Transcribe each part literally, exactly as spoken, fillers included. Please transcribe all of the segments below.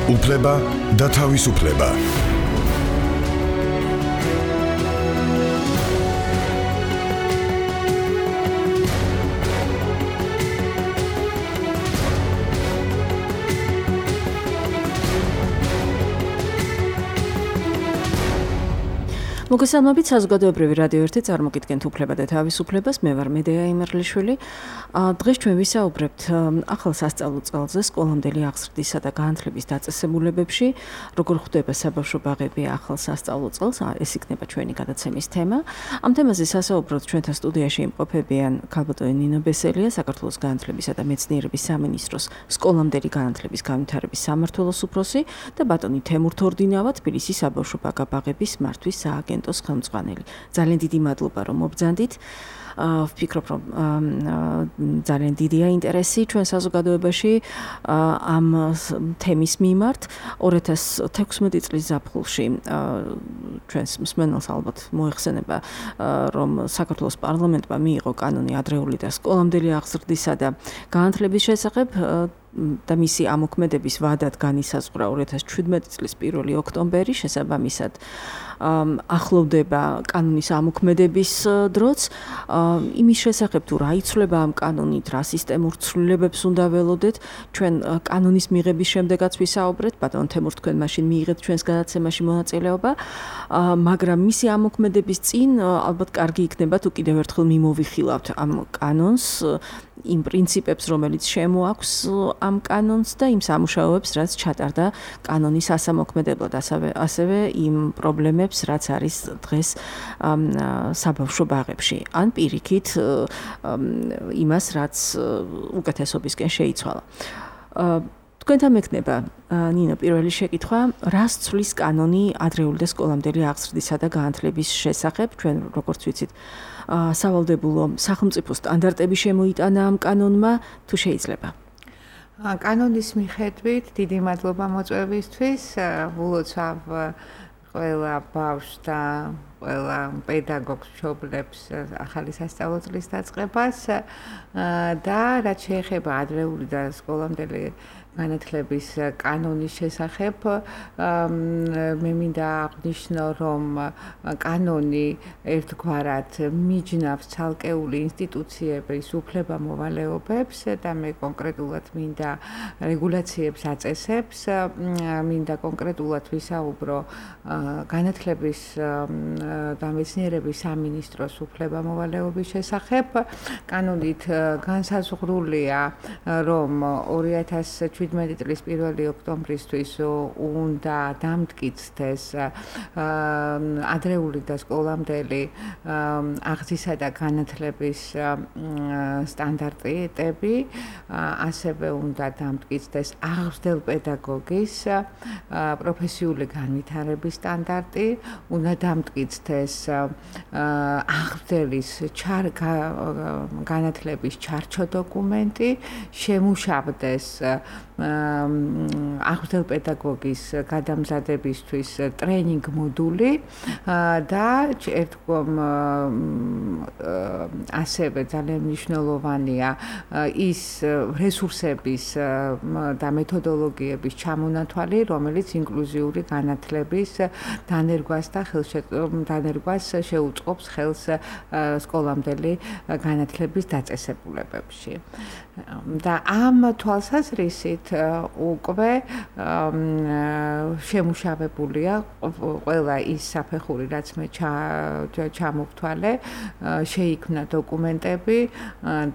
უფლება და თავისუფლება. მოგესალმებით საზოგადოებრივი რადიო ერთი წარმოგიდგენთ უფლება და თავისუფლებას. მე ვარ მედეა იმერლიშვილი. დღეს ჩვენ ვისაუბრებთ ახალ სასწავლო წელზე სკოლამდელი აღზრდისა და განათლების დაწესებულებებში, როგორ ხვდება საბავშვო ბაღები ახალ სასწავლო წელს. ეს იქნება ჩვენი გადაცემის თემა. ამ თემაზე სასაუბროდ ჩვენთან სტუდიაში იმყოფებიან ქალბატონი ნინო ბესელია, საქართველოს განათლებისა და მეცნიერების სამინისტროს სკოლამდელი განათლების განვითარების სამმართველოს უფროსი და ბატონი თემურ თორდინავა, თბილისის საბავშვო ბაღების მართვის სააგენტოს ხელმძღვანელი. ძალიან დიდი მადლობა რომ მობრძანდით. ვფიქრობ რომ ძალიან დიდია ინტერესი ჩვენ საზოგადოებაში ამ თემის მიმართ. ორი ათას თექვსმეტი წლის ზაფხულში ჩვენს მსმენელს ალბათ მოეხსენება რომ საქართველოს პარლამენტმა მიიღო კანონი ადრეული და სკოლამდელი აღზრდისა და განათლების შესახებ და მისი ამოქმედების ვადად განისაზღვრა ორი ათას ჩვიდმეტი წლის პირველი ოქტომბერი. შესაბამისად ახლოვდება კანონის ამოქმედების დროც. იმის შესახებ თუ რა იცვლება ამ კანონით, რა სისტემურ ცვლილებებს უნდა ველოდეთ, ჩვენ კანონის მიღების შემდეგაც ვისაუბრეთ. ბატონ თემურ, თქვენ მაშინ მიიღეთ ჩვენს გადაცემაში მონაწილეობა, მაგრამ მისი ამოქმედების წინ ალბათ კარგი იქნება თუ კიდევ ერთხელ მიმოვიხილავთ ამ კანონს, იმ პრინციპებს, რომელიც შემოაქვს ამ კანონს და იმ სამუშაოებს, რაც ჩატარდა კანონის ასამოქმედებლად, ასევე იმ პრობლემებს, რაც არის დღეს საბავშვო ბაღებში. ან პირიქით იმას, რაც უკეთესობისკენ შეიცვალა. თქვენთან მექნება ნინო პირველი შეკითხვა, რას ცვლის კანონი ადრეული და სკოლამდელი აღზრდისა და განათლების შესახებ? ჩვენ როგორც ვიცით, სავალდებულო სახელმწიფო სტანდარტები შემოიტანა ამ კანონმა, თუ შეიძლება? კანონის მიხედვით, დიდი მადლობა მოწვევისთვის. ვილოცავ ყველა ბავშვს და ყველა პედაგოგს მშობლებს ახალი სასწავლო წლის დაწყებას და რაც შეეხება ადრეული და სკოლამდელი განათლების კანონის შესახებ, მე მინდა აღნიშნო, რომ კანონი ერთგვარად მიჯნავს ცალკეული ინსტიტუციების უფლება-მოვალეობებს და მე კონკრეტულად მინდა რეგულაციებს აწესებს, მინდა კონკრეტულად ვისაუბრო განათლების და მეცნიერების სამინისტროს უფლება-მოვალეობის შესახებ. კანონით განსაზღვრულია, რომ ორი ათას ჩვიდმეტი წლის პირველი ოქტომბრისთვის უნდა დამტკიცდეს ადრეული და სკოლამდელი აღზრდისა და განათლების სტანდარტები, ასევე უნდა დამტკიცდეს აღზრდელ პედაგოგის პროფესიული განვითარების სტანდარტი, უნდა დამტკიცდეს აღზრდელის განათლების ჩარჩო დოკუმენტი, შემუშავდეს აღზრდელ პედაგოგის გადამზადებისთვის ტრენინგ მოდული და ერთგვარ ასევე ძალიან მნიშვნელოვანია ის რესურსების და მეთოდოლოგიების ჩამონათვალი, რომელიც ინკლუზიური განათლების დანერგვას და დანერგვას შეუწყობს ხელს სკოლამდელი განათლების დაწესებულებებში. და ამ თვალსაზრისით უკვე შემუშავებულია ყველა ის საფეხური, რაც მე ჩამოვთვალე, შეიქმნა დოკუმენტები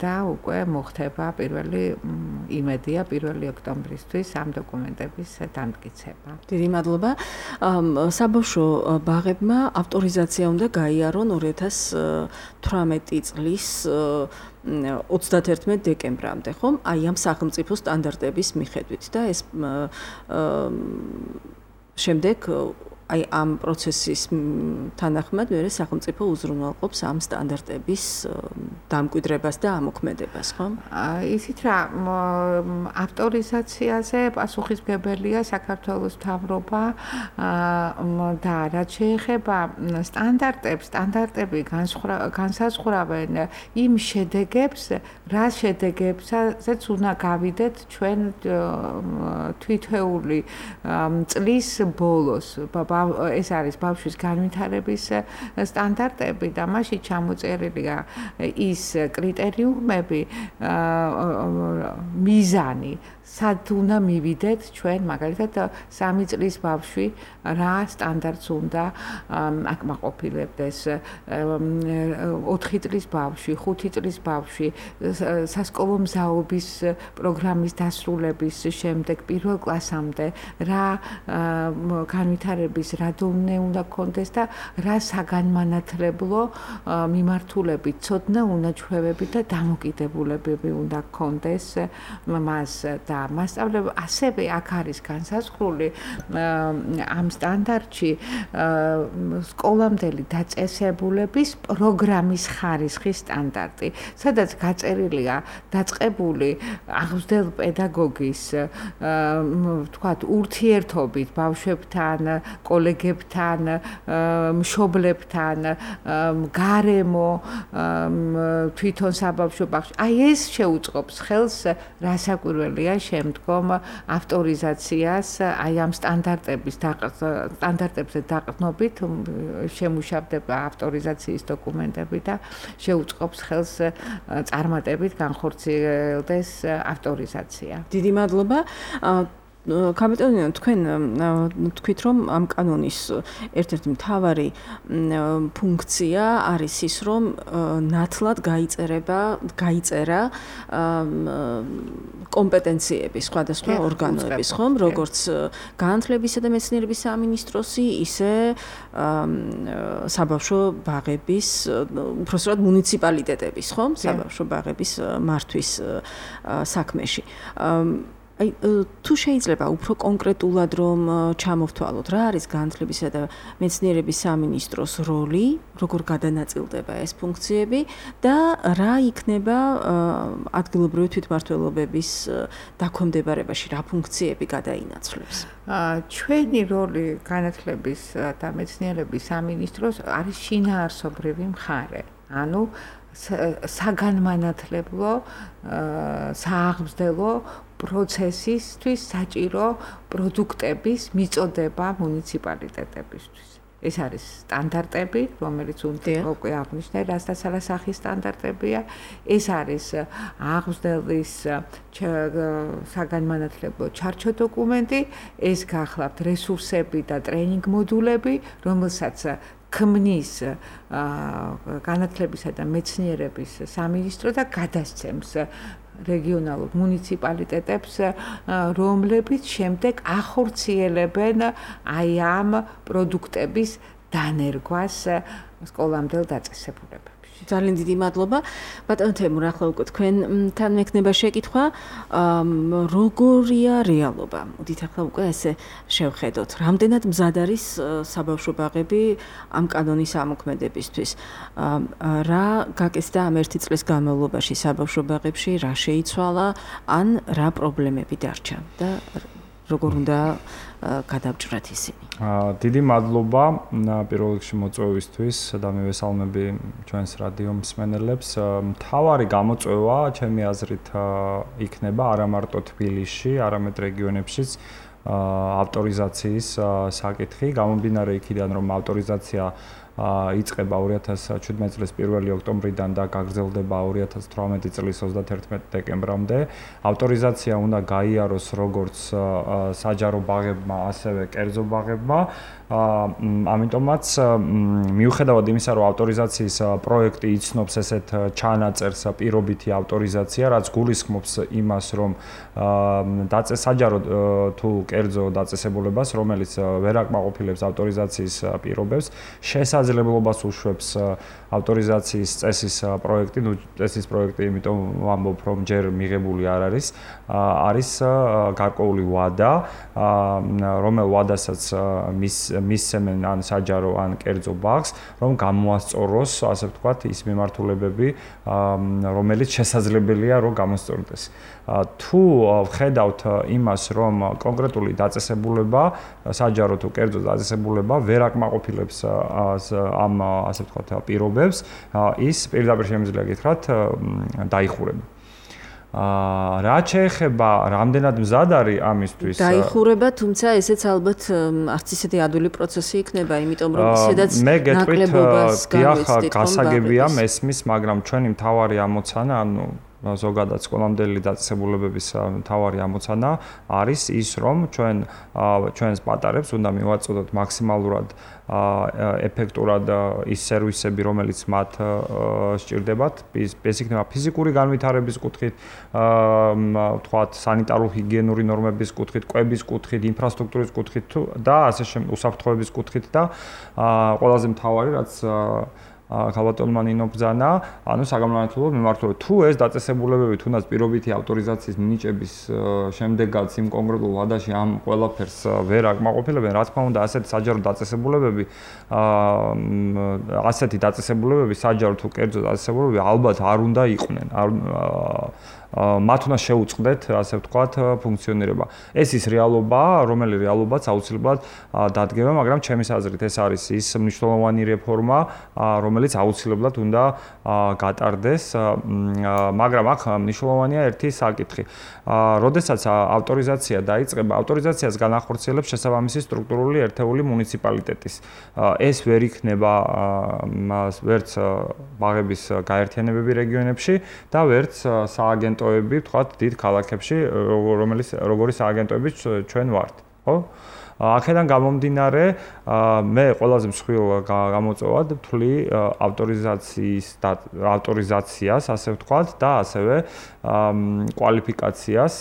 და უკვე მოხდება პირველი იმედია პირველი ოქტომბრისთვის ამ დოკუმენტების დამტკიცება. დიდი მადლობა. საბავშვო ბაღებმა ავტორიზაცია უნდა გაიარონ ორი ათას თვრამეტი წლის ოცდაათერთმეტი დეკემბრამდე, ხომ? აი ამ სახელმწიფო სტანდარტების მიხედვით და ეს შემდეგ აი ამ პროცესის თანახმად მე სახელმწიფო უზრუნველყოფს ამ სტანდარტების დამკვიდრებას და ამოქმედებას, ხო? ისიც რა ავტორიზაციაზე პასუხისმგებელია საქართველოს მთავრობა და რაც შეეხება სტანდარტებს, სტანდარტები განსაზღვრავენ იმ შედეგებს, რა შედეგებსაც უნდა გავიდეთ ჩვენ თვითეული წლის ბოლოს. ეს არის ბავშვის განვითარების სტანდარტები და მასში ჩამოწერილია ის კრიტერიუმები, მიზანი, სად უნდა მივიდეთ ჩვენ მაგალითად სამი წლის ბავშვი რა სტანდარტს უნდა აკმაყოფილებდეს, ოთხი წლის ბავშვი, ხუთი წლის ბავშვი, სასკოლო მზაობის პროგრამის დასრულების შემდეგ პირველ კლასამდე რა განვითარების რა დონე უნდა გქონდეს და რა საგანმანათლებლო მიმართულებით, ცოდნა, უნაჩვევები და დამოკიდებულებები უნდა გქონდეს მას და მასწავლებლ ასევე აქ არის განსაზღვრული ამ სტანდარტში სკოლამდელი დაწესებულების პროგრამის ხარისხის სტანდარტი, სადაც გაწერილია დაწყებული აღზრდელ პედაგოგის ვთქვათ ურთიერთობით ბავშვებთან, კოლეგებთან, მშობლებთან, გარემო, თვითონ საბავშვო ბაღში. აი ეს შეუწყობს ხელს რასაკვირველია შემდგომ ავტორიზაციას, აი ამ სტანდარტების სტანდარტებზე დაყრდნობით შემუშავდება ავტორიზაციის დოკუმენტები და შეუწყობს ხელს წარმატებით განხორციელდეს ავტორიზაცია. დიდი მადლობა. კაპიტანო, თქვენ თქვით, რომ ამ კანონის ერთ-ერთი მთავარი ფუნქცია არის ის, რომ ნათლად გაიწერება, გაიწერა კომპეტენციები სხვადასხვა ორგანოების, ხომ, როგორც განათლებისა და მეცნიერების სამინისტროსი, ისე საბავშვო ბაღების, უпростоრად მუნიციპალიტეტების, ხომ, საბავშვო ბაღების მართვის საქმეში. აი თუ შეიძლება უფრო კონკრეტულად რომ ჩამოვთვალოთ რა არის განათლებისა და მეცნიერების სამინისტროს როლი, როგორ გადანაწილდება ეს ფუნქციები და რა იქნება ადგილობრივი თვითმმართველობების დაქვემდებარებაში, რა ფუნქციები გადაინაცვლებს? ჩვენი როლი განათლების და მეცნიერების სამინისტროს არის შინაარსობრივი მხარე. ანუ საგანმანათლებლო, სააღმზრდელო პროცესისთვის საჭირო პროდუქტების მიწოდება მუნიციპალიტეტებისთვის. ეს არის სტანდარტები, რომელიც უნდა უკვე აღნიშნე, რასაც სახის სტანდარტებია. ეს არის აღზრდელის საგანმანათლებლო ჩარჩო დოკუმენტი, ეს გახლავთ რესურსები და ტრენინგ მოდულები, რომელსაც ქმნის განათლებისა და მეცნიერების სამინისტრო და გადასცემს რეგიონალურ მუნიციპალიტეტებს, რომლებიც შემდეგ ახორციელებენ აი ამ პროდუქტების დანერგვას სკოლამდელ დაწესებულებებში. ძალიან დიდი მადლობა. ბატონო თემურ, ახლა უკვე თქვენთან მექნება შეკითხვა, როგორია რეალობა? მოდით ახლა უკვე ესე შევხედოთ. რამდენად მზად არის საბავშვო ბაღები ამ კანონის ამოქმედებისთვის? რა გაკეთდა ამ ერთი წლის განმავლობაში საბავშვო ბაღებში, რა შეიცვალა, ან რა პრობლემები დარჩა და როგორ უნდა გადავჭრათ ისინი? დიდი მადლობა პირველ რიგში მოწვევისთვის და მივესალმები ჩვენს რადიო მსმენელებს. მთავარი გამოწვევა, ჩემი აზრით, იქნება არა მარტო თბილისში, არამედ რეგიონებშიც ავტორიზაციის საკითხი. გამომდინარე იქიდან, რომ ავტორიზაცია იწყება ორი ათას შვიდმეტი წლის პირველი ოქტომბრიდან და გაგრძელდება ორი ათას თვრამეტი წლის ოცდათერთმეტი დეკემბრამდე. ავტორიზაცია უნდა გაიაროს როგორც საჯარო ბაღებმა, ასევე კერძო ბაღებმა. ამიტომაც მიუხედავად იმისა, რომ ავტორიზაციის პროექტი იცნობს ესეთ ჩანაწერს პირობითი ავტორიზაცია, რაც გულისხმობს იმას, რომ საჯარო თუ კერძო დაწესებულებას, რომელიც ვერ აკმაყოფილებს ავტორიზაციის პირობებს, შესაძლოა შესაძლებლობას უშვებს ავტორიზაციის წესის პროექტი, ну წესის პროექტი, იმიტომ ვამბობ, რომ ჯერ მიღებული არ არის, არის გარკვეული ვადა, რომელ ვადასაც მის მისცემენ ან საჯარო ან კერძო ბაღს, რომ გამოასწოროს, ასე ვთქვათ, ის მიმართულებები, რომელიც შესაძლებელია, რომ გამოსწორდეს. თუ ვხედავთ იმას, რომ კონკრეტული დაწესებულება, საჯარო თუ კერძო დაწესებულება ვერ აკმაყოფილებს ამ, ასე ვთქვათ, პირობებს, ის პირდაპირ შემიძლია გითხრათ, დაიხურება. აა რაც შეეხება რამდენად მზად არის ამისთვის დაიხურება, თუმცა ესეც ალბათ არც ისეთი ადვილი პროცესი იქნება, იმიტომ რომ ისედაც ნაკლებობას განვიცდით, გასაგებია მესმის, მაგრამ ჩვენი მთავარი ამოცანა, ანუ ზოგადად სკოლამდელი დაწესებულებების მთავარი ამოცანა არის ის, რომ ჩვენ ჩვენს პატარებს უნდა მივაწოდოთ მაქსიმალურად ეფექტურად ის სერვისები, რომელიც მათ სჭირდებათ, ეს იქნება ფიზიკური განვითარების კუთხით, ვთქვათ, სანიტარულ-ჰიგიენური ნორმების კუთხით, კვების კუთხით, ინფრასტრუქტურის კუთხით და ასე შემდეგ, უსაფრთხოების კუთხით და ყველაზე მთავარი, რაც ხალბატონმა ნინო ბრძანა, ანუ საგამომართლებლო მიმართულებით. თუ ეს დაწესებულებები თუნდაც პირობითი ავტორიზაციის მინიჭების შემდეგაც იმ კონკრეტულ ვადაში ამ ყველაფერს ვერ აკმაყოფილებენ, რა თქმა უნდა, ასეთი საჯარო დაწესებულებები, ასეთი დაწესებულებები, საჯარო თუ კერძო დაწესებულებები ალბათ არ უნდა იყვნენ. მათ უნდა შეუწყდეთ, ასე ვთქვათ, ფუნქციონირება. ეს ის რეალობაა, რომელიც რეალობაც აუცილებლად დადგება, მაგრამ ჩემის აზრით ეს არის ის მნიშვნელოვანი რეფორმა, რომელიც აუცილებლად უნდა გატარდეს, მაგრამ აქ მნიშვნელოვანია ერთი საკითხი. როდესაც ავტორიზაცია დაიწყება, ავტორიზაციას განახორციელებს შესაბამისი სტრუქტურული ერთეული მუნიციპალიტეტის. ეს ვერ იქნება ვერც ბაღების გაერთიანებები რეგიონებში და ვერც სააგენტო ვთქვათ, დიდ ქალაქებში, რომელიც როგორი სააგენტოები ჩვენ ვართ, ხო? აქედან გამომდინარე, მე ყველაზე მსხვილ გამოწვევად ვთვლი ავტორიზაციის ავტორიზაციას, ასე ვთქვათ, და ასევე კვალიფიკაციას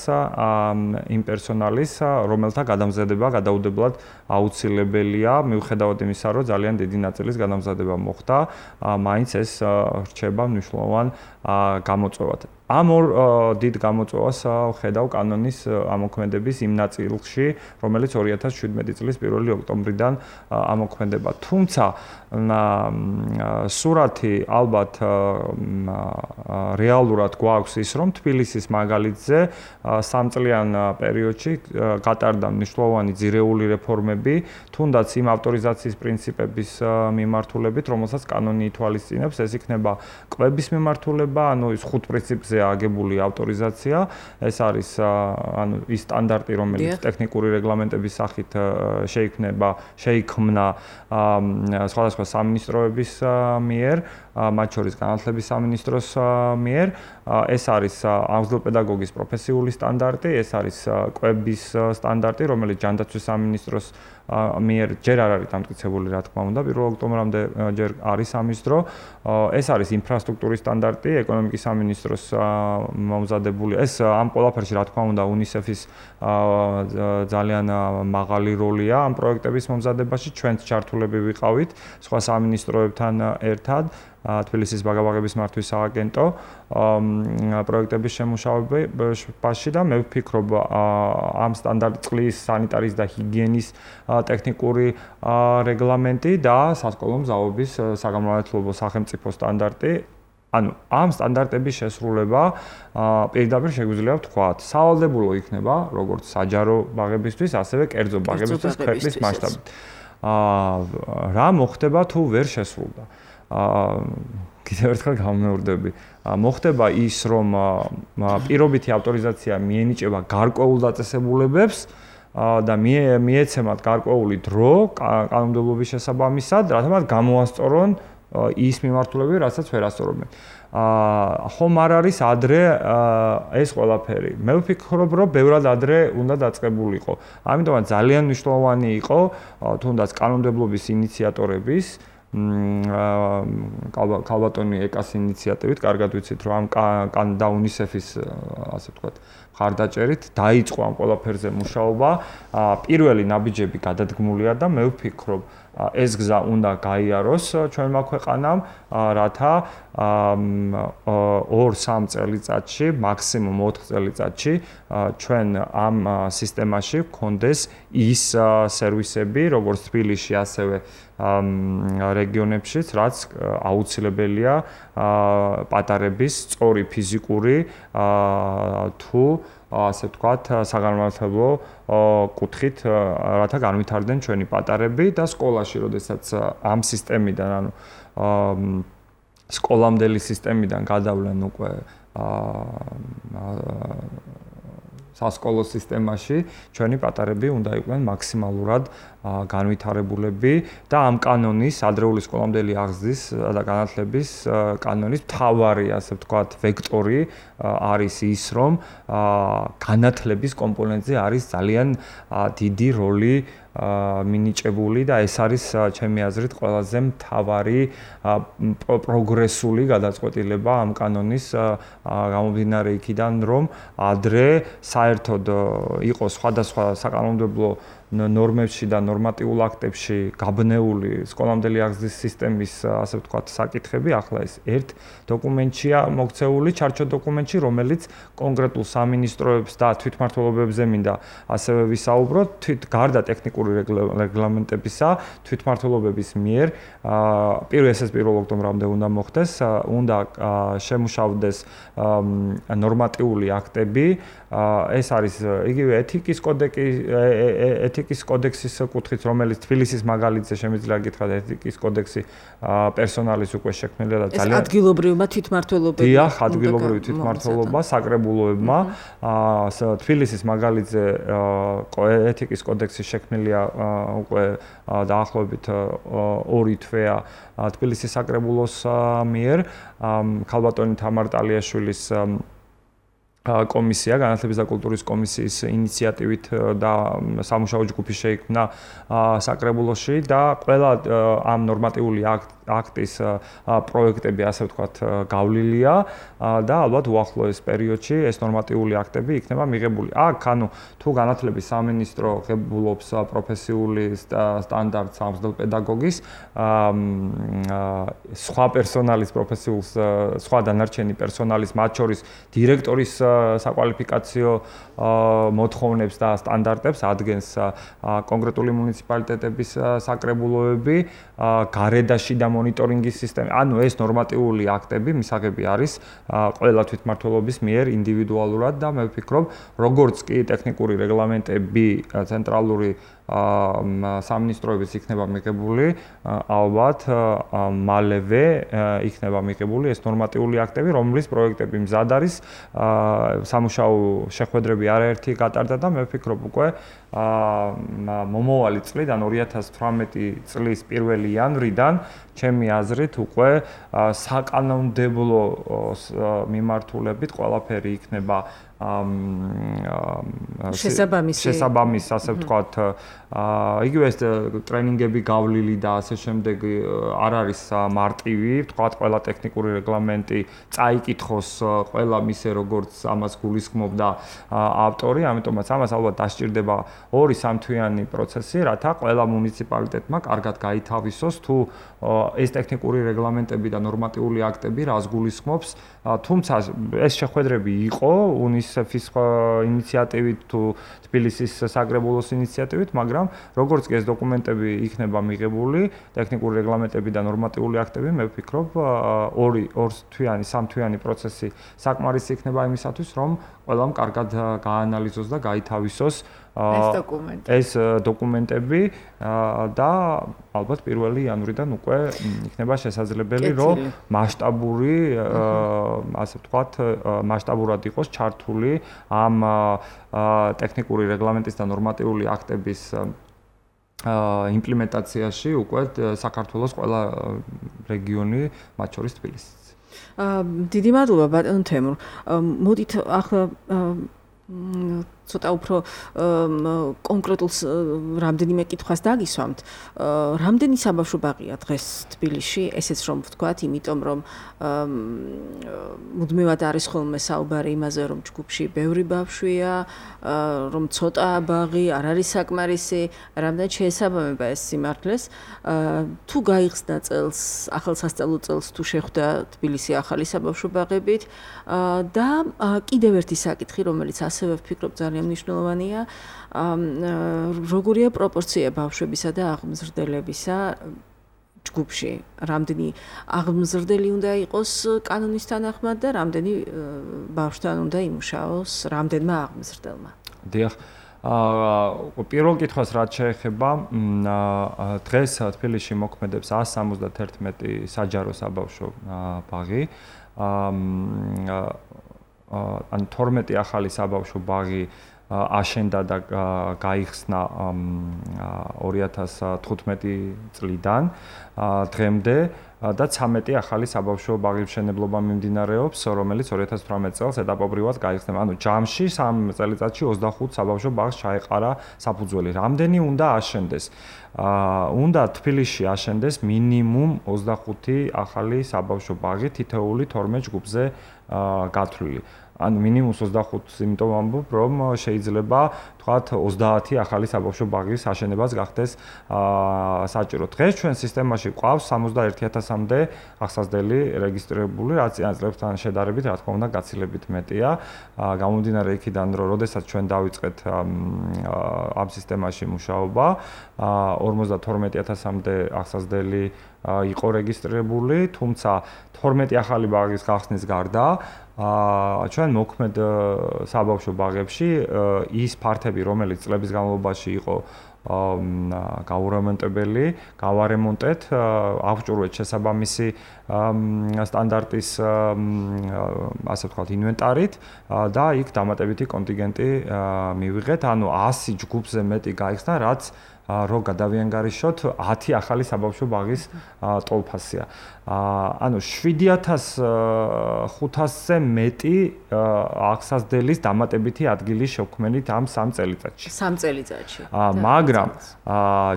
იმ პერსონალის, რომელთა გადამზადება გადაუდებლად აუცილებელია, მიუხედავად იმისა, რომ ძალიან დიდი ნაწილის გადამზადება მოხდა, მაინც ეს რჩება მნიშვნელოვან გამოწვევად. ამ ორ დიდ გამოწვევას ვხედავ კანონის ამოქმედების იმ ნაწილში, რომელიც ორი ათას შვიდმეტი წლის პირველი ოქტომბრიდან ამოქმედება. თუმცა სურათი ალბათ რეალურად გვაქვს ის, რომ თბილისის მაგალითზე სამწლიან პერიოდში გატარდა მნიშვნელოვანი ძირეული რეფორმები, თუნდაც იმ ავტორიზაციის პრინციპების მიმართულებით, რომელსაც კანონი ითვალისწინებს, ეს იქნება კვების მიმართულება, ანუ ის ხუთ პრინციპზე აგებული ავტორიზაცია, ეს არის ანუ ის სტანდარტი, რომელიც ტექნიკური რეგლამენტების სახით შეიქმნება, შეიქმნა სხვადასხვა სამინისტროების მიერ, მათ შორის განათლების სამინისტროს მიერ, ეს არის აღზრდილ-პედაგოგის პროფესიული სტანდარტი, ეს არის კვების სტანდარტი, რომელიც ჯანდაცვის სამინისტროს მიერ ჯერ არ არის დამტკიცებული, რა თქმა უნდა, პირველ ოქტომბრამდე ჯერ არის ამის დრო. ეს არის ინფრასტრუქტურის სტანდარტი, ეკონომიკის სამინისტროს მომზადებული. ეს ამ ყველაფერში, რა თქმა უნდა, UNICEF-ის ძალიან მაღალი როლია ამ პროექტების მომზადებაში. ჩვენც ჩართულები ვიყავით სხვა სამინისტროებთან ერთად. თბილისის ბაგაბაღების მართვის სააგენტო პროექტების შემუშავებაში და მე ვფიქრობ ამ სტანდარტ წყლის, სანიტარის და ჰიგიენის ტექნიკური რეგლამენტი და სასკოლო მზაობის საგამომართლებლო სახელმწიფო სტანდარტი, ანუ ამ სტანდარტების შესრულება პირდაპირ შეგვიძლია ვთქვათ, სავალდებულო იქნება როგორც საჯარო ბაღებისთვის, ასევე კერძო ბაღებისთვის ქვეყნის მასშტაბით. რა მოხდება თუ ვერ შესრულდა? კიდევ ერთხელ გამომეორდები. მოხდება ის, რომ პირობითი ავტორიზაცია მიენიჭება გარკვეულ დაწესებულებებს და მიეცემათ გარკვეული დრო კანონმდებლობის შესაბამისად, რათა მათ გამოასწორონ ის მიმართულებები, რასაც ვერ ასწორებენ. ხომ არ არის ადრე ეს ყველაფერი. მე ვფიქრობ, რომ ბევრად ადრე უნდა დაწყებულიყო. ამიტომაც ძალიან მნიშვნელოვანი იყო თუნდაც კანონმდებლობის ინიციატორების ქალბატონი ეკას ინიციატივით, კარგად ვიცით, რომ ამ და UNICEF-ის, ასე ვთქვათ, მხარდაჭერით დაიწყო ამ ყველაფერზე მუშაობა. პირველი ნაბიჯები გადადგმულია და მე ვფიქრობ, ეს გზა უნდა გაიაროს ჩვენმა ქვეყანამ, რათა ორ-სამ წელიწადში, მაქსიმუმ ოთხ წელიწადში ჩვენ ამ სისტემაში გქონდეს ის სერვისები, როგორც თბილისში, ასევე რეგიონებშიც, რაც აუცილებელია პატარების სწორი ფიზიკური თუ ასე ვთქვათ, საგანმანათლებლო კუთხით, რათა განვითარდნენ ჩვენი პატარები და სკოლაში, როდესაც ამ სისტემიდან, ანუ სკოლამდელი სისტემიდან გადავლენ უკვე სასკოლო სისტემაში, ჩვენი პატარები უნდა იყვნენ მაქსიმალურად განვითარებულები და ამ კანონის, ადრეული სკოლამდელი აღზრდის და განათლების კანონის მთავარი, ასე ვთქვათ, ვექტორი არის ის, რომ განათლების კომპონენტზე არის ძალიან დიდი როლი მინიჭებული და ეს არის ჩემი აზრით ყველაზე მთავარი პროგრესული გადაწყვეტილება ამ კანონის გამომდინარე იქიდან, რომ ადრე საერთოდ იყო სხვადასხვა საკანონმდებლო ნორმებში და ნორმატიულ აქტებში გაბნეული სკოლამდელი აღზრდის სისტემის, ასე ვთქვათ, საკითხები, ახლა ეს ერთ დოკუმენტშია მოქცეული, ჩარჩო დოკუმენტში, რომელიც კონკრეტულ სამინისტროებს და თვითმმართველობებზე მინდა ასევე ვისაუბროთ, თვით გარდა ტექნიკური რეგლამენტებისა, თვითმმართველობების მიერ, პირველ ეს პირველ ოქტომბრამდე უნდა მოხდეს, უნდა შემუშავდეს ნორმატიული აქტები, ეს არის იგივე ეთიკის კოდექსი, ეთიკის კოდექსის კუთხით, რომელიც თბილისის მაგალითზე შემიძლია გითხრათ, ეთიკის კოდექსი პერსონალის უკვე შექმნილია და ძალიან ეს ადგილობრივმა თვითმმართველობებმა. დიახ, ადგილობრივი თვითმმართველობა, საკრებულოებმა, თბილისის მაგალითზე ეთიკის კოდექსი შექმნილია უკვე დაახლოებით ორი თვეა თბილისის საკრებულოს მიერ, ქალბატონი თამარ ტალიაშვილის კომისია, განათლების და კულტურის კომისიის ინიციატივით და სამუშაო ჯგუფი შეიქმნა საკრებულოში და ყველა ამ ნორმატიული აქტის პროექტები, ასე ვთქვათ, გავლილია და ალბათ უახლოეს პერიოდში ეს ნორმატიული აქტები იქნება მიღებული. აქ, ანუ თუ განათლების სამინისტრო ღებულობს პროფესიული სტანდარტს ამსდელ პედაგოგის, სხვა პერსონალის პროფესიულს, სხვა დანარჩენი პერსონალის, მათ შორის დირექტორის საკვალიფიკაციო მოთხოვნებს და სტანდარტებს ადგენს კონკრეტული მუნიციპალიტეტების საკრებულოები, გარედაში და მონიტორინგის სისტემა. ანუ ეს ნორმატიული აქტები მისაღები არის ყველა თვითმმართველობის მიერ ინდივიდუალურად და მე ვფიქრობ, როგორც კი ტექნიკური რეგლამენტები ცენტრალური სამინისტროების იქნება მიღებული, ალბათ მალევე იქნება მიღებული ეს ნორმატიული აქტები, რომლის პროექტები მზად არის, სამუშაო შეხვედრები არაერთი გატარდა და მე ვფიქრობ უკვე მომავალი წლიდან ორი ათას თვრამეტი წლის პირველი იანვრიდან ჩემი აზრით უკვე საკანონმდებლო მიმართულებით ყველაფერი იქნება შესაბამისი შესაბამის, ასე ვთქვათ, იგივე ეს ტრენინგები გავლილი და ასე შემდეგ არ არის მარტივი, ვთქვათ, ყველა ტექნიკური რეგლამენტი წაიკითხოს ყველა მისე როგორც ამას გულისხმობდა ავტორი, ამიტომაც ამას ალბათ დასჭირდება ორი სამთვიანი პროცესი, რათა ყველა მუნიციპალიტეტმა კარგად გაითავისოს თუ ეს ტექნიკური რეგლამენტები და ნორმატიული აქტები რას გულისხმობს, თუმცა ეს შეხვედრები იყო უნისეფის ინიციატივით თუ თბილისის საკრებულოს ინიციატივით, მაგრამ როგორც კი ეს დოკუმენტები იქნება მიღებული, ტექნიკური რეგლამენტები და ნორმატიული აქტები, მე ვფიქრობ, ორი ორთვიანი, სამთვიანი პროცესი საკმარისი იქნება იმისათვის, რომ ყველამ კარგად გაანალიზოს და გაითავისოს ეს დოკუმენტი. ეს დოკუმენტები და ალბათ პირველი იანვრიდან უკვე იქნება შესაძლებელი, რომ მასშტაბური, ასე ვთქვათ, მასშტაბურად იყოს ჩართული ამ ტექნიკური რეგლამენტის და ნორმატიული აქტების იმპლემენტაციაში უკვე საქართველოს ყველა რეგიონი, მათ შორის თბილისიც. დიდი მადლობა ბატონ თემურ. მოდით ახლა ცოტა უფრო კონკრეტულ რამდენიმე კითხვას დაგისვამთ. რამდენი საბავშვო ბაღია დღეს თბილისში, ესეც რომ ვთქვათ, იმიტომ რომ მუდმივად არის ხოლმე საუბარი იმაზე, რომ ჯგუფში ბევრი ბავშვია, რომ ცოტაა ბაღი, არ არის საკმარისი, რამდენად შეესაბამება ეს სიმართლეს. თუ გაიხსნა წელს, ახალ სასწავლო წელს თუ შეხვდა თბილისი ახალი საბავშვო ბაღებით და კიდევ ერთი საკითხი, რომელიც ასევე ვფიქრობ ძალიან მნიშვნელოვანია, როგორია პროპორცია ბავშვებისა და აღმზრდელებისა ჯგუფში, რამდენი აღმზრდელი უნდა იყოს კანონის თანახმად და რამდენი ბავშვთან უნდა იმუშაოს რამდენმა აღმზრდელმა. დიახ. აა პირველ კითხვას რაც შეეხება, დღეს თბილისში მოქმედებს one seventy-one საჯარო საბავშვო ბაღი. აა ან twelve ახალი საბავშვო ბაღი აშენდა და გაიხსნა two thousand თხუთმეტი წლიდან დღემდე და thirteen ახალი საბავშვო ბაღის მშენებლობა მიმდინარეობს, რომელიც two thousand eighteen წელს ეტაპობრივად გაიხსნება. ანუ ჯამში სამ წელიწადში twenty-five საბავშვო ბაღს ჩაეყარა საფუძველი. რამდენი უნდა აშენდეს? აა უნდა თბილისში აშენდეს მინიმუმ twenty-five ახალი საბავშვო ბაღი თითოეული twelve ჯგუფზე გათვლილი. ან მინიმუმ twenty-five იმიტომ ვამბობ, რომ შეიძლება თქვათ thirty ახალი საბავშვო ბაღის აშენებაც გახდეს აა საჭირო. დღეს ჩვენ სისტემაში ყავს seventy-one thousand-მდე აღსაზრდელი რეგისტრირებული, რაც წლებთან შედარებით, რა თქმა უნდა, გაცილებით მეტია. გამომდინარე იქიდან, რომ როდესაც ჩვენ დავიწყეთ ამ სისტემაში მუშაობა, forty-two thousand-მდე აღსაზრდელი იყო რეგისტრირებული, თუმცა twelve ახალი ბაღის გახსნის გარდა აა ჩვენ მოქმედ საბავშვო ბაღებში ის ფართები, რომელიც წლების განმავლობაში იყო გაურემონტებელი, გავარემონტეთ, აღჭურვეთ შესაბამისი სტანდარტის ასე ვთქვათ ინვენტარით და იქ დამატებითი კონტინგენტი მივიღეთ, ანუ one hundred ჯგუფზე მეტი გაიხსნა, რაც რო გადავიანგარიშოთ ten ახალი საბავშვო ბაღის ტოლფასია. ანუ seven thousand five hundred-ზე მეტი აღსაზრდელის დამატებითი ადგილი შევქმნით ამ სამ წელიწადში. სამ წელიწადში. მაგრამ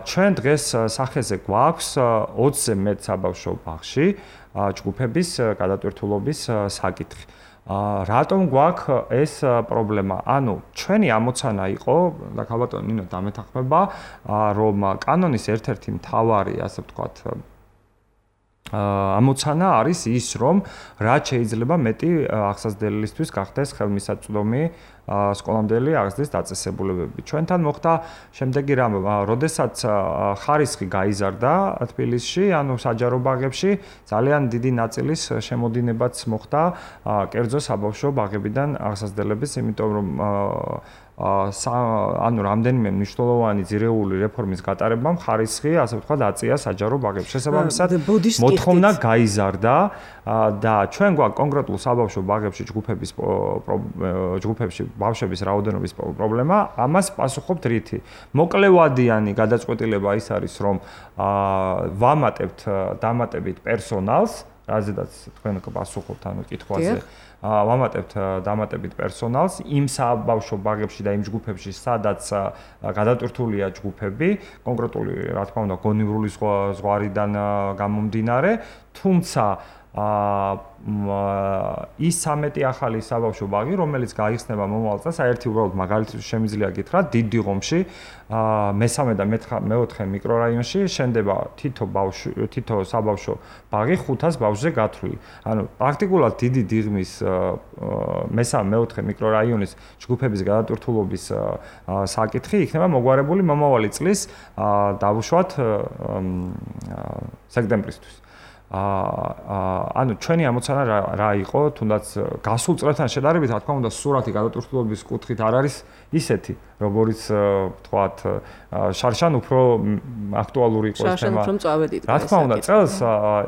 ჩვენ დღეს სახეზე გვაქვს twenty-ზე მეტ საბავშვო ბაღში ჯგუფების გადატვირთულობის საკითხი. რატომ გვაქვს ეს პრობლემა? ანუ ჩვენი ამოცანა იყო და ქალბატონ ნინო დამეთანხმება, რომ კანონის ერთ-ერთი მთავარი, ასე ვთქვათ, ამოცანა არის ის, რომ რაც შეიძლება მეტი აღსაზრდელისთვის გახდეს ხელმისაწვდომი სკოლამდელი აღზრდის დაწესებულებები. ჩვენთან მოხდა შემდეგი რამე, როდესაც ხარისხი გაიზარდა თბილისში, ანუ საჯარო ბაღებში, ძალიან დიდი ნაწილის შემოდინებაც მოხდა კერძო საბავშვო ბაღებიდან აღსაზრდელების, იმიტომ რომ ანუ რამდენიმე მნიშვნელოვანი ძირეული რეფორმის გატარებამ ხარისხი, ასე ვთქვათ, აწია საჯარო ბაღებში. შესაბამისად, მოთხოვნა გაიზარდა და ჩვენ გვაქვს კონკრეტულ საბავშვო ბაღებში ჯგუფების ჯგუფებში ბავშვების რაოდენობის პრობლემა, ამას პასუხობთ რითი? მოკლევადიანი გადაწყვეტილება ის არის, რომ ვამატებთ დამატებით პერსონალს, რაზედაც თქვენ პასუხობთ ანუ კითხვაზე. ვამატებთ დამატებით პერსონალს იმ საბავშვო ბაღებში და იმ ჯგუფებში, სადაც გადატვირთულია ჯგუფები, კონკრეტული, რა თქმა უნდა, გონივრული ზღვარიდან გამომდინარე, თუმცა ის thirteen ახალი საბავშვო ბაღი, რომელიც გაიხსნება მომავალ წელს, საერთოდ უბრალოდ მაგალითად შემიძლია გითხრათ, დიდ დიღომში, მესამე და მეოთხე მიკრორაიონში შენდება თითო ბავშვი, თითო საბავშვო ბაღი five hundred ბავშვზე გათვლილი. ანუ პრაქტიკულად დიდი დიღმის მესამე მეოთხე მიკრორაიონის ჯგუფების გადატვირთულობის საკითხი იქნება მოგვარებული მომავალი წლის დავუშვათ სექტემბრისთვის. აა ანუ ჩვენი ამოცანა რა იყო, თუნდაც გასულ წლებთან შედარებით, რა თქმა უნდა, სურათი გადატვირთულობის კუთხით არ არის ისეთი, როგორც ვთქვათ, შარშან უფრო აქტუალური იყო ეს თემა. შარშან უფრო მწვავედი დღეს. რა თქმა უნდა, წელს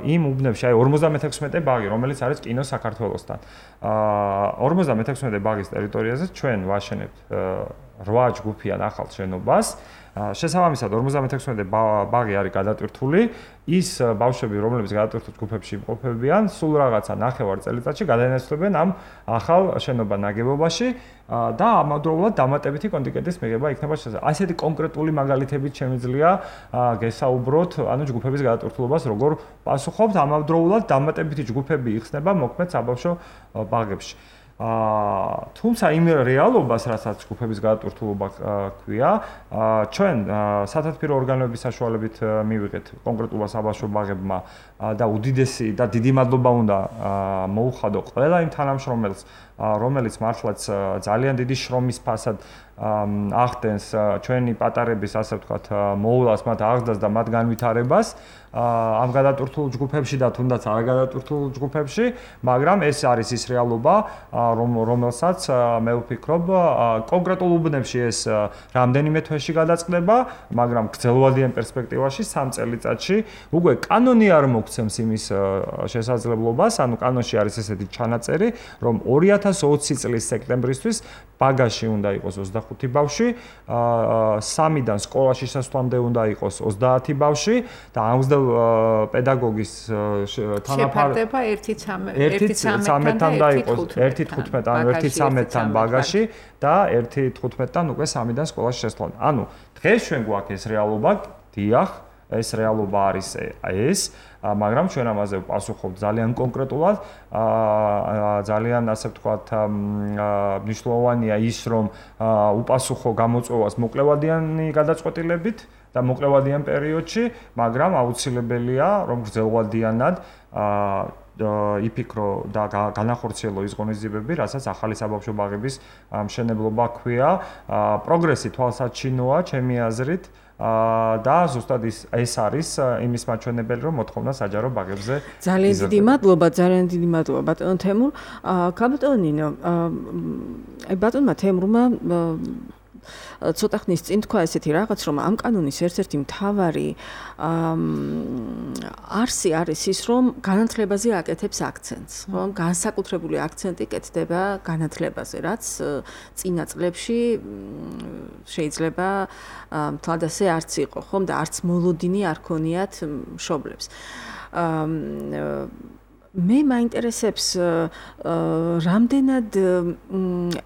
იმ უბნებში, აი forty-six ბაღი, რომელიც არის კინო საქართველოსთან. აა forty-six ბაღის ტერიტორიაზე ჩვენ ვაშენებთ რვა ჯგუფიან ახალ შენობას. შესაბამისად ორმოცდამეექვსმეტე ბაღი არის გადატვირთული. ის ბავშვები, რომლებიც გადატვირთულ ჯგუფებში იმყოფებიან, სულ რაღაცა ნახევარ წელიწადში გადაინაცვლებენ ამ ახალ შენობა ნაგებობაში და ამავდროულად დამატებითი კონტინგენტის მიღება იქნება შესაძლებელი. ასეთი კონკრეტული მაგალითებით შემიძლია გესაუბროთ, ანუ ჯგუფების გადატვირთულობას როგორ პასუხობთ, ამავდროულად დამატებითი ჯგუფები იხსნება მოქმედ საბავშვო ბაღებში. აა თუმცა იმ რეალობას, რასაც ჯგუფების გადატვირთულობა ქვია, ჩვენ სათათბირო ორგანოების საშუალებით მივიღეთ კონკრეტულად საბავშვო ბაღებმა და უდიდესი და დიდი მადლობა უნდა მოუხადო ყველა იმ თანამშრომელს, რომელიც მართლაც ძალიან დიდი შრომის ფასად ახდენს ჩვენი პატარების, ასე ვთქვათ, მოვლას, მათ აღზრდას და მათ განვითარებას ამ გადატვირთულ ჯგუფებში და თუნდაც არ გადატვირთულ ჯგუფებში, მაგრამ ეს არის ის რეალობა, რომელსაც მე ვფიქრობ, კონკრეტულ უბნებში ეს რამდენიმე თვეში გადაწყდება, მაგრამ გრძელვადიან პერსპექტივაში სამ წელიწადში უკვე კანონი არ მოგცემს იმის შესაძლებლობას, ანუ კანონში არის ესეთი ჩანაწერი, რომ ორი ათას ოცი წლის სექტემბრისთვის ბაგაში უნდა იყოს ოცდახუთი ბავშვი, სამიდან სკოლაში შესვლამდე უნდა იყოს ოცდაათი ბავშვი და ამდენ პედაგოგის თანაფარდება ერთი ცამეტთან და იყოს ერთი თხუთმეტი ან ერთი ცამეტთან ბაგაში და ერთი თხუთმეტთან უკვე სამიდან სკოლაში შესვლამდე. ანუ დღეს ჩვენ გვაქვს ეს რეალობა, დიახ, ეს რეალობა არის ეს, მაგრამ ჩვენ ამაზე ვპასუხობთ ძალიან კონკრეტულად, ძალიან ასე ვთქვათ, მნიშვნელოვანია ის, რომ უპასუხო გამოწვევას მოკლევადიანი გადაწყვეტილებით და მოკლევადიან პერიოდში, მაგრამ აუცილებელია, რომ გრძელვადიანად იფიქრო და განახორციელო ის ღონისძიებები, რასაც ახალი საბავშვო ბაღების მშენებლობა ქვია. პროგრესი თვალსაჩინოა, ჩემი აზრით. და ზუსტად ეს არის იმის მაჩვენებელი, რომ მოთხოვნა საჯარო ბაღებზე ძალიან დიდი მადლობა, ძალიან დიდი მადლობა ბატონ თემურ. ბატონ ნინო, აი ბატონმა თემურმა ცოტა ხნის წინ თქვა ესეთი რაღაც, რომ ამ კანონის ერთ-ერთი მთავარი არსი არის ის, რომ განათლებაზე აკეთებს აქცენტს, რომ განსაკუთრებული აქცენტი კეთდება განათლებაზე, რაც წინა წლებში შეიძლება თლად ასე არც იყო, ხომ და არც მოლოდინი არ ქონიათ მშობლებს. მე მაინტერესებს რამდენად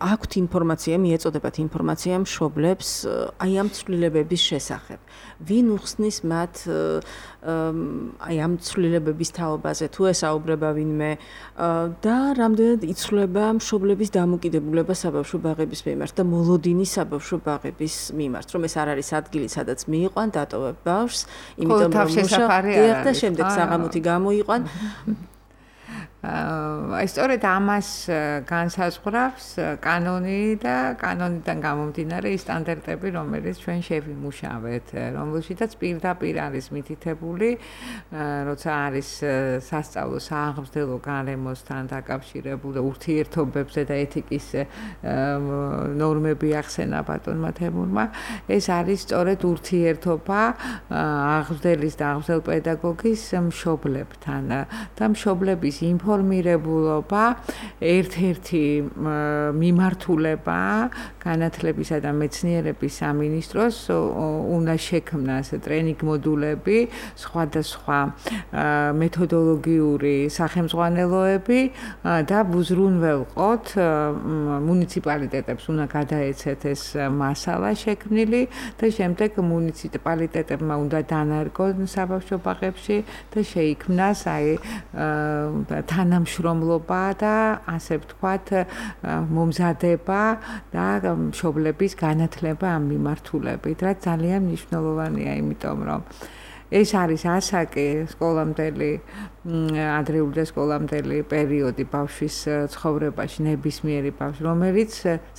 აქვთ ინფორმაცია, მიეწოდებათ ინფორმაცია მშობლებს აი ამ ცვლილებების შესახებ. ვინ უხსნის მათ აი ამ ცვლილებების თაობაზე, თუ ესაუბრება ვინმე და რამდენად იცვლება მშობლების დამოკიდებულება საბავშვო ბაღების მიმართ და მოლოდინი საბავშვო ბაღების მიმართ, რომ ეს არ არის ადგილი, სადაც მიიყვან, დატოვებ ბავშვს, იმიტომ რომ მუშაობენ და შემდეგ საღამოთი გამოიყვან. აი სწორედ ამას განსაზღვრავს კანონი და კანონიდან გამომდინარე ის სტანდარტები, რომელიც ჩვენ შევიმუშავეთ, რომელშიც პირდაპირ არის მითითებული, როცა არის სასწავლო სააღმრთელო გარემოსთან დაკავშირებული ურთიერთობებზე და ეთიკის ნორმები ახსენა ბატონმა თემურმა, ეს არის სწორედ ურთიერთობა აღზრდელის და აღზრდელ პედაგოგის მშობლებთან და მშობლების ინფორმაცია ინფორმირებულობა ერთ-ერთი მიმართულება განათლებისა და მეცნიერების სამინისტროს უნდა შექმნას ტრენინგ მოდულები, სხვადასხვა მეთოდოლოგიური სახელმძღვანელოები და უზრუნველყოთ მუნიციპალიტეტებს უნდა გადაეცეთ ეს მასალა შექმნილი და შემდეგ მუნიციპალიტეტებმა უნდა დანარგონ საბავშვო ბაღებში და შეიქმნას აი თანამშრომლობა და ასე ვთქვათ მომზადება და მშობლების განათლება ამ მიმართულებით, რაც ძალიან მნიშვნელოვანია, იმიტომ რომ ეს არის ასაკი სკოლამდელი ადრეული და სკოლამდელი პერიოდი ბავშვის ცხოვრებაში, ნებისმიერი ბავშვი, რომელიც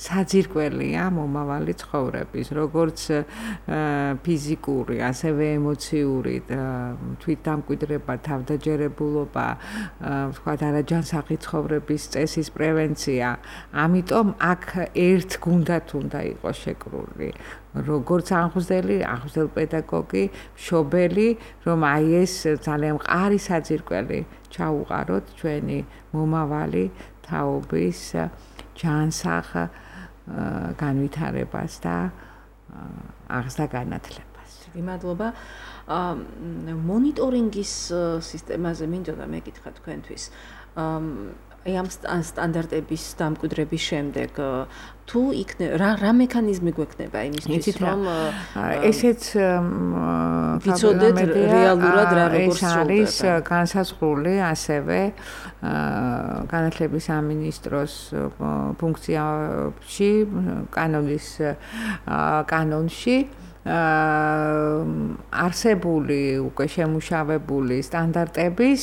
საძირკველია მომავალი ცხოვრების, როგორც ფიზიკური, ასევე ემოციური თვითდამკვიდრება, თავდაჯერებულობა, ვთქვათ, არაჯანსაღი ცხოვრების წესის პრევენცია. ამიტომ აქ ერთ გუნდად უნდა იყოს შეკრული. როგორც აღზრდელი, აღზრდელ პედაგოგი, მშობელი, რომ აი ეს ძალიან მყარი საძირკველი ჩაუყაროთ ჩვენი მომავალი თაობის ჯანსაღ განვითარებას და აღზრდა განათლებას. მადლობა. მონიტორინგის სისტემაზე მინდოდა მეკითხა თქვენთვის. აი ამ სტანდარტების დამკვიდრების შემდეგ თუ იქნება რა რა მექანიზმი გვექნება იმისთვის რომ ესეც ვიცოდეთ რეალურად რა როგორ არის განსაზღვრული ასევე განათლების სამინისტროს ფუნქციაში კანონის კანონში არსებული უკვე შემუშავებული სტანდარტების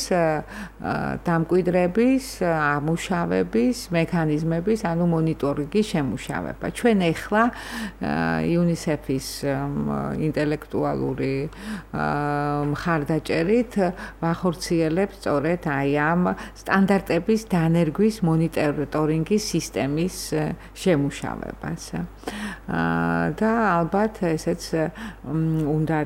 დამკვიდრების, ამუშავების, მექანიზმების, ანუ მონიტორინგის შემუშავება. ჩვენ ახლა იუნისეფის ინტელექტუალური მხარდაჭერით ვახორციელებთ სწორედ აი ამ სტანდარტების დანერგვის მონიტორინგის სისტემის შემუშავებას. და ალბათ ესეც უნდა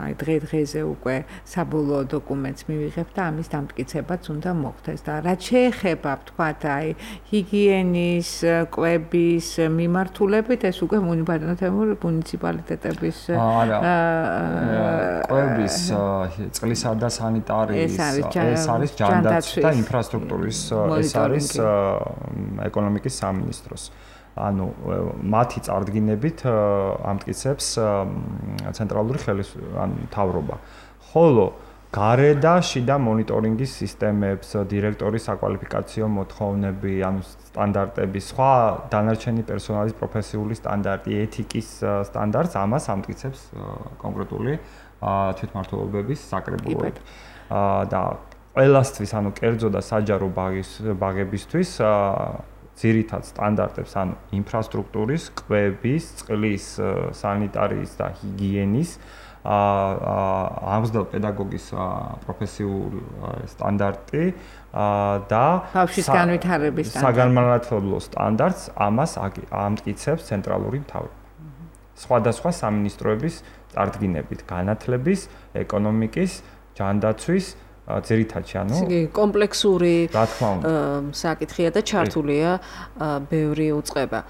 აი დღე-დღეზე უკვე საბოლოო დოკუმენტს მივიღებთ და ამის დამტკიცებაც უნდა მოხდეს და რაც შეეხება ვთქვათ აი ჰიგიენის, კვების მიმართულებით ეს უკვე მუნიციპალიტეტების კვების წყლისა და სანიტარიის ეს არის ჯანდაცვის და ინფრასტრუქტურის ეს არის ეკონომიკის სამინისტროს ანუ მათი წარდგინებით ამტკიცებს ცენტრალური ხელისუფლება ანუ მთავრობა. ხოლო გარე და შიდა მონიტორინგის სისტემებს, დირექტორის საკვალიფიკაციო მოთხოვნები, ანუ სტანდარტები, სხვა დანარჩენი პერსონალის პროფესიული სტანდარტი, ეთიკის სტანდარტს ამას ამტკიცებს კონკრეტული თვითმმართველობების საკრებულოები. და ყველასთვის, ანუ კერძო და საჯარო ბაღებისთვის ძირითად სტანდარტებს, ანუ ინფრასტრუქტურის, კვების, წყლის, სანიტარიის და ჰიგიენის, აღზრდელ პედაგოგის პროფესიული სტანდარტი და ბავშვის განვითარების სტანდარტი. საგანმანათლებლო სტანდარტს ამას ამტკიცებს ცენტრალური მთავრობა. სხვადასხვა სამინისტროების წარდგინებით, განათლების, ეკონომიკის, ჯანდაცვის ძირითადში ანუ კომპლექსური საკითხია და ჩართულია ბევრი უწყება.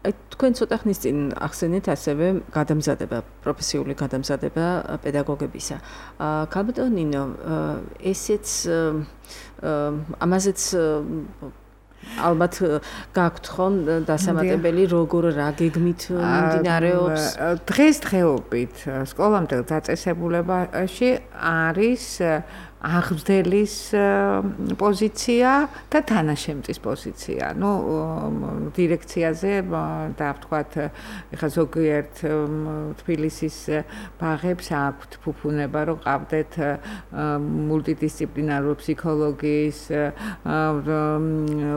აი თქვენ ცოტა ხნის წინ ახსენეთ ასევე გადამზადება, პროფესიული გადამზადება პედაგოგებისა. ქალბატონ ნინო, ესეც ამაზეც ალბათ გაქვთ ხომ დასამატებელი როგორ რა გეგმით მიმდინარეობს? დღესდღეობით სკოლამდელ დაწესებულებაში არის აღზრდელის პოზიცია და თანაშემწის პოზიცია. ნუ დირექციაზე და ვთქვათ, ეხლა ზოგიერთ თბილისის ბაღებს აქვთ ფუფუნება, რომ ყავდეთ მულტიდისციპლინარული ფსიქოლოგიის,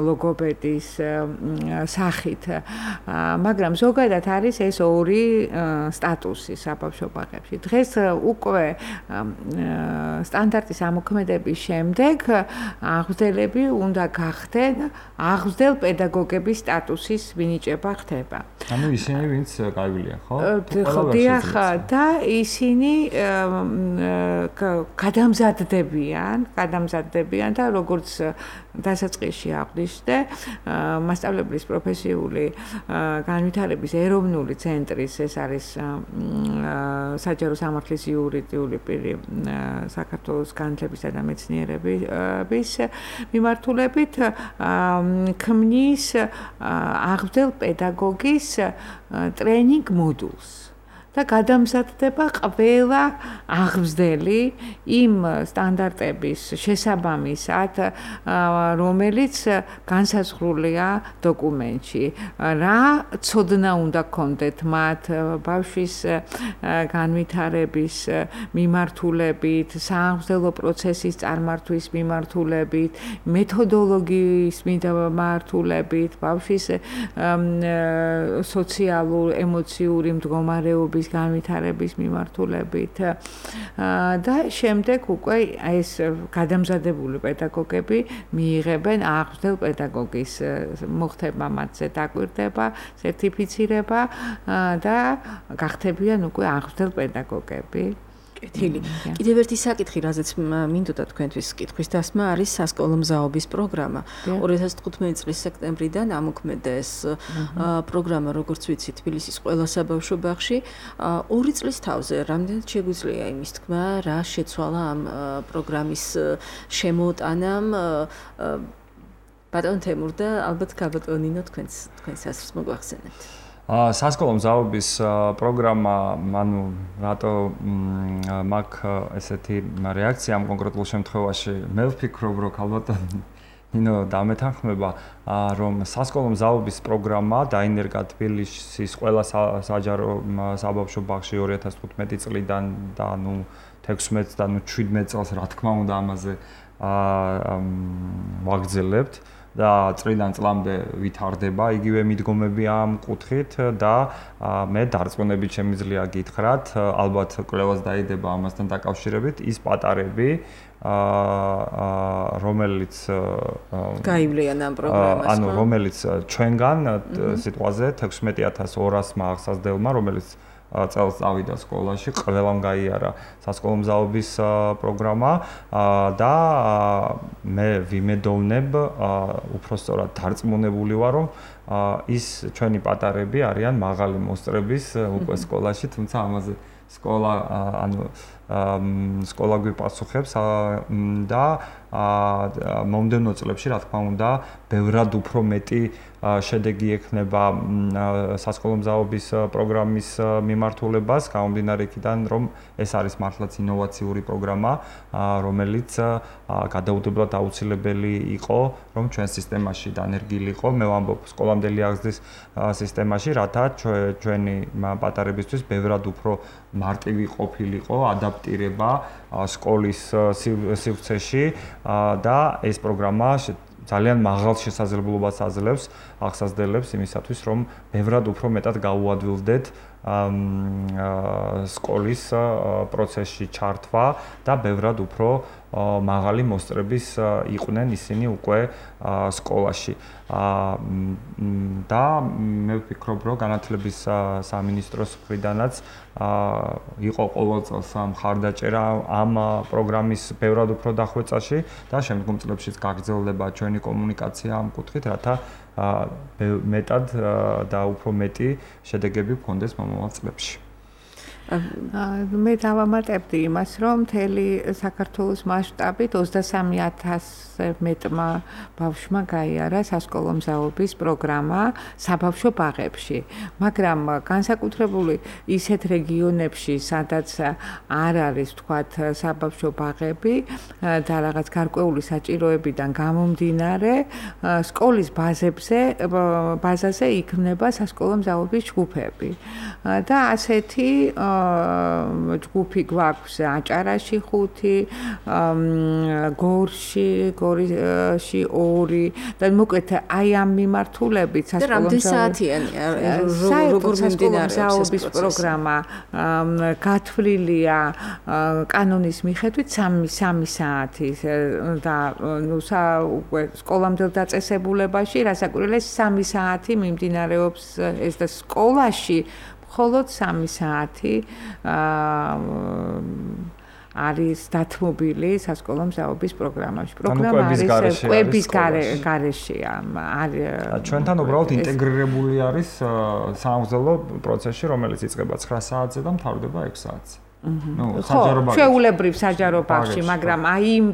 ლოგოპედის სახით. მაგრამ ზოგადად არის ეს ორი სტატუსი საბავშვო ბაღებში. დღეს უკვე სტანდარტის ამოქმედების შემდეგ აღზრდელები უნდა გახდნენ აღზრდელ პედაგოგების სტატუსის მინიჭება ხდება. ანუ ისინი ვინც გაივლიან, ხო? ხო, დიახ, და ისინი გადამზადდებიან, გადამზადდებიან და როგორც დასაწყისში აღვნიშნე, მასწავლებლის პროფესიული განვითარების ეროვნული ცენტრის ეს არის საჯარო სამართლის იურიდიული პირი საქართველოს განათლებისა და მეცნიერების მიმართულებით ქმნის აღზრდელ პედაგოგის ტრენინგ მოდულს და გადამზადდება ყველა აღზრდელი იმ სტანდარტების შესაბამისად, რომელიც განსაზღვრულია დოკუმენტში. რა ცოდნა უნდა გქონდეთ მათ ბავშვის განვითარების მიმართულებით, სააღზრდელო პროცესის წარმართვის მიმართულებით, მეთოდოლოგიის მიმართულებით, ბავშვის სოციალურ, ემოციური მდგომარეობის განვითარების მიმართულებით და შემდეგ უკვე ეს გადამზადებული პედაგოგები მიიღებენ აღზრდელ პედაგოგის მოხდება მათზე დაკვირდება, სერტიფიცირება და გახდებიან უკვე აღზრდელ პედაგოგები. კეთილი. კიდევ ერთი საკითხი, რაზეც მინდოდა თქვენთვის კითხვის დასმა, არის სასკოლო მზაობის პროგრამა. ორი ათას თხუთმეტი წლის სექტემბრიდან ამოქმედა ეს პროგრამა, როგორც ვიცი, თბილისის ყველა საბავშვო ბაღში. ორი წლის თავზე რამდენად შეგვიძლია იმის თქმა, რა შეცვალა ამ პროგრამის შემოტანამ ბატონ თემურ და ალბათ გაბატონინო თქვენს თქვენს ასრს მოგვახსენებთ. სასკოლო მზაობის პროგრამა, ანუ რატო მაქვს ესეთი რეაქცია ამ კონკრეტულ შემთხვევაში, მე ვფიქრობ, რომ ალბათ ნინო დამეთანხმება, რომ სასკოლო მზაობის პროგრამა დაინერგა თბილისის ყველა საჯარო საბავშვო ბაღში ორი ათას თხუთმეტი წლიდან და ნუ თექვსმეტ და ნუ შვიდმეტ წელს რა თქმა უნდა ამაზე ვაგრძელებთ. და წლიდან წლამდე ვითარდება იგივე მიდგომები ამ კუთხით და მე დარწმუნებით შემიძლია გითხრათ, ალბათ კვლევაც დაიდება ამასთან დაკავშირებით, ის პატარები, რომელიც გაივლიან ამ პროგრამას, ანუ რომელიც ჩვენგან სიტყვაზე თექვსმეტი ათას ორასმა აღსაზრდელმა, რომელიც წელს წავიდა სკოლაში, ყველამ გაიარა სასკოლო მზაობის პროგრამა და მე ვიმედოვნებ, უпростоრად დარწმუნებული ვარ, რომ ის ჩვენი პატარები არიან მაღალი მოსწრების უკვე სკოლაში, თუმცა ამაზე სკოლა ანუ სკოლა გვიპასუხებს და მომდევნო წლებში, რა თქმა უნდა, ბევრად უფრო მეტი შედეგი ექნება სასკოლო მზაობის პროგრამის მიმართულებას, გამომდინარე იქიდან, რომ ეს არის მართლაც ინოვაციური პროგრამა, რომელიც გადაუდებლად აუცილებელი იყო, რომ ჩვენ სისტემაში დანერგილიყო, მე ვამბობ სკოლამდელი აღზრდის სისტემაში, რათა ჩვენი პატარებისთვის ბევრად უფრო მარტივი ყოფილიყო ადაპტირება სკოლის სივრცეში და ეს პროგრამა ძალიან მაღალ შესაძლებლობას აძლევს აღსაზრდელებს იმისათვის, რომ ბევრად უფრო მეტად გაუადვილდეთ სკოლის პროცესში ჩართვა და ბევრად უფრო მაღალი მოსწრების იყვნენ ისინი უკვე სკოლაში. და მე ვფიქრობ, რომ განათლების სამინისტროს მხრიდანაც იყო ყოველ წელს მხარდაჭერა ამ პროგრამის ბევრად უფრო დახვეწაში და შემდგომ წლებშიც გაგრძელდება ჩვენი კომუნიკაცია ამ კუთხით, რათა მეტად და უფრო მეტი შედეგები გქონდეს მომავალ წლებში. მე დავამატებდი იმას, რომ მთელი საქართველოს მასშტაბით ოცდასამი ათასზე მეტმა ბავშვმა გაიარა სასკოლო მზაობის პროგრამა საბავშვო ბაღებში, მაგრამ განსაკუთრებული ისეთ რეგიონებში, სადაც არ არის თქვათ საბავშვო ბაღები და რაღაც გარკვეული საჭიროებიდან გამომდინარე, სკოლის ბაზებზე ბაზაზე იქმნება სასკოლო მზაობის ჯგუფები და ასეთი ჯგუფი გვაქვს აჭარაში ხუთი, გორში, გორში ორი და მოკლედ აი ამ მიმართულებით სასკოლო მზაობის პროგრამა გათვლილია კანონის მიხედვით სამი საათი და ნუ უკვე სკოლამდელ დაწესებულებაში რასაკვირველია სამი საათი მიმდინარეობს ეს და სკოლაში მხოლოდ სამი საათი არის დათმობილი სასკოლო მზაობის პროგრამაში. პროგრამა არის კვების გარეშეა. ჩვენთან უბრალოდ ინტეგრირებული არის სამგზელო პროცესში, რომელიც იწყება ცხრა საათზე და მთავრდება ექვს საათზე. ნუ საჯარო ბაღში. ჩვეულებრივ საჯარო ბაღში, მაგრამ აი იმ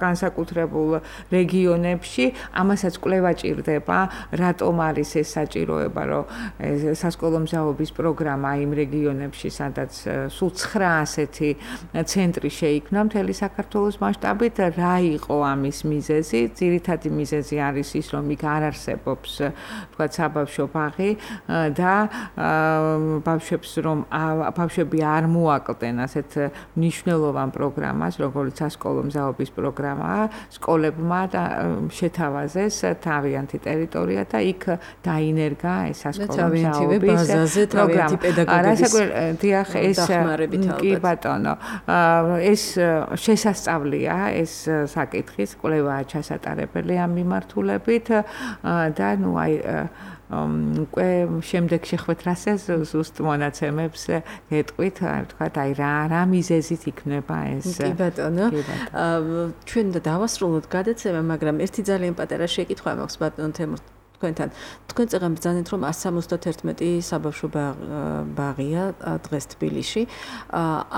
განსაკუთრებულ რეგიონებში ამასაც კვლევა ჭირდება, რატომ არის ეს საჭიროება, რომ სასკოლო მზაობის პროგრამა იმ რეგიონებში, სადაც სულ ცხრა ასეთი ცენტრი შეიქმნა მთელი საქართველოს მასშტაბით, რა იყო ამის მიზეზი? ძირითადი მიზეზი არის ის, რომ იქ არ არსებობს, თქვა საბავშვო ბაღი და ბავშვებს რომ ბავშვები არ მოაკლდნენ ასეთ მნიშვნელოვან პროგრამას, როგორც სასკოლო მზაობის პროგრამაა, სკოლებმა და შეთავაზეს თავიანთი ტერიტორია და იქ დაინერგა ეს სასკოლო მზაობის პროგრამა. რასაკვირველია, ეს კი ბატონო, ეს შესასწავლია, ეს საკითხის კვლევაა ჩასატარებელი ამ მიმართულებით და ნუ აი უკვე შემდეგ შეხვეთ რასაც ზუსტ მონაცემებს გეტყვით, ვთქვათ, აი რა რა მიზეზით იქნება ეს. კი ბატონო. ჩვენ და დავასრულოთ გადაცემა, მაგრამ ერთი ძალიან პატარა შეკითხვა მაქვს ბატონო თემურ თქვენთან. თქვენ წეგან ბრძანეთ, რომ one seventy-one საბავშვო ბაღია დღეს თბილისში.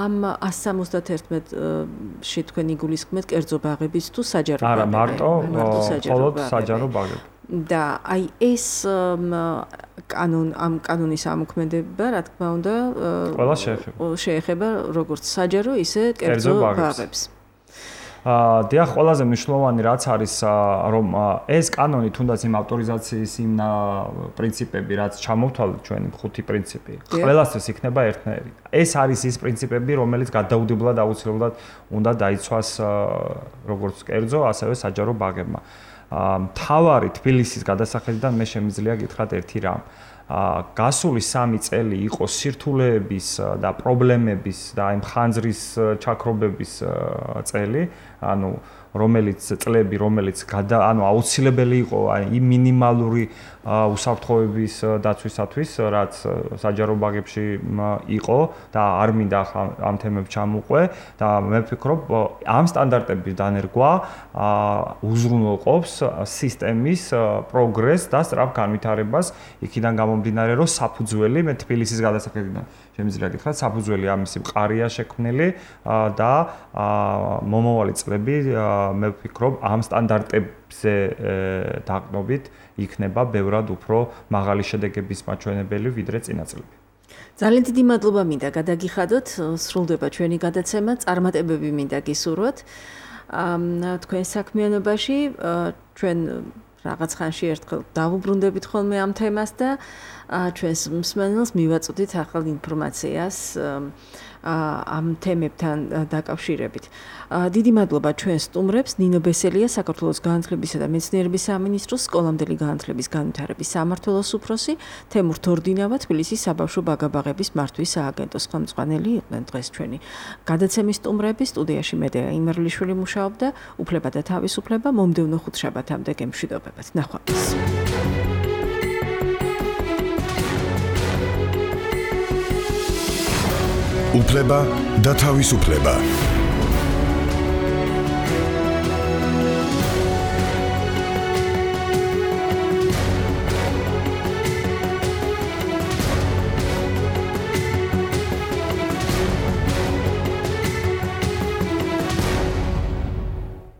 ამ one seventy-one-ში თქვენ იგულისხმეთ კერძო ბაღების თუ საჯარო ბაღები? არა, მარტო მხოლოდ საჯარო ბაღები. და აი ეს კანონ ამ კანონის ამოქმედება, რა თქმა უნდა, ყველა შეეხება. შეეხება როგორც საჯარო, ისე კერძო ბაღებს. აა დიახ, ყველაზე მნიშვნელოვანი რაც არის, რომ ეს კანონი თუნდაც იმ ავტორიზაციის იმ პრინციპები, რაც ჩამოვთვალეთ ჩვენი ხუთი პრინციპი, ყველასთვის იქნება ერთნაირი. ეს არის ის პრინციპები, რომელიც გადაუდებლად აუცილებლად უნდა დაიცვას როგორც კერძო, ასევე საჯარო ბაღებმა. მთავარი თბილისის გადასახედიდან მე შემიძლია გითხრათ ერთი რამ. გასული სამი წელი იყო სირთულეების და პრობლემების და იმ ხანძრის ჩაქრობების წელი, ანუ რომელიც წლები, რომელიც ანუ აუცილებელი იყო აი მინიმალური უსაფრთხოების დაცვისათვის, რაც საჯარო ბაღებში იყო და არ მინდა ამ თემებს ჩამოვყვე და მე ვფიქრობ, ამ სტანდარტების დანერგვა უზრუნველყოფს სისტემის პროგრესს და სწრაფ განვითარებას, იქიდან გამომდინარე, რომ საფუძველი მე თბილისის გადასახედიდან შემიძლია გითხრათ, საფუძველი ამისი მყარია შექმნილი და მომავალი წლები მე ვფიქრობ, ამ სტანდარტებზე დაყრდნობით იქნება ბევრად უფრო მაღალი შედეგების მაჩვენებელი ვიდრე წინა წლები. ძალიან დიდი მადლობა მინდა გადაგიხადოთ, სრულდება ჩვენი გადაცემა, წარმატებები მინდა გისურვოთ. თქვენ საქმიანობაში ჩვენ რაღაც ხანში ერთხელ დავუბრუნდებით ხოლმე ამ თემას და ჩვენს მსმენელს მივაწოდით ახალ ინფორმაციას ამ თემებთან დაკავშირებით. დიდი მადლობა ჩვენ სტუმრებს, ნინო ბესელია, საქართველოს განათლებისა და მეცნიერების სამინისტროს სკოლამდელი განათლების განვითარების სამმართველოს უფროსი, თემურ თორდინავა, თბილისის საბავშვო ბაღ-ბაღების მართვის სააგენტოს ხელმძღვანელი იყვნენ დღეს ჩვენი გადაცემის სტუმრები. სტუდიაში მედეა იმერლიშვილი მუშაობდა, უფლება და თავისუფლება მომდევნო ხუთშაბათამდე გემშვიდობებათ. ნახვამდის. უფლება და თავისუფლება.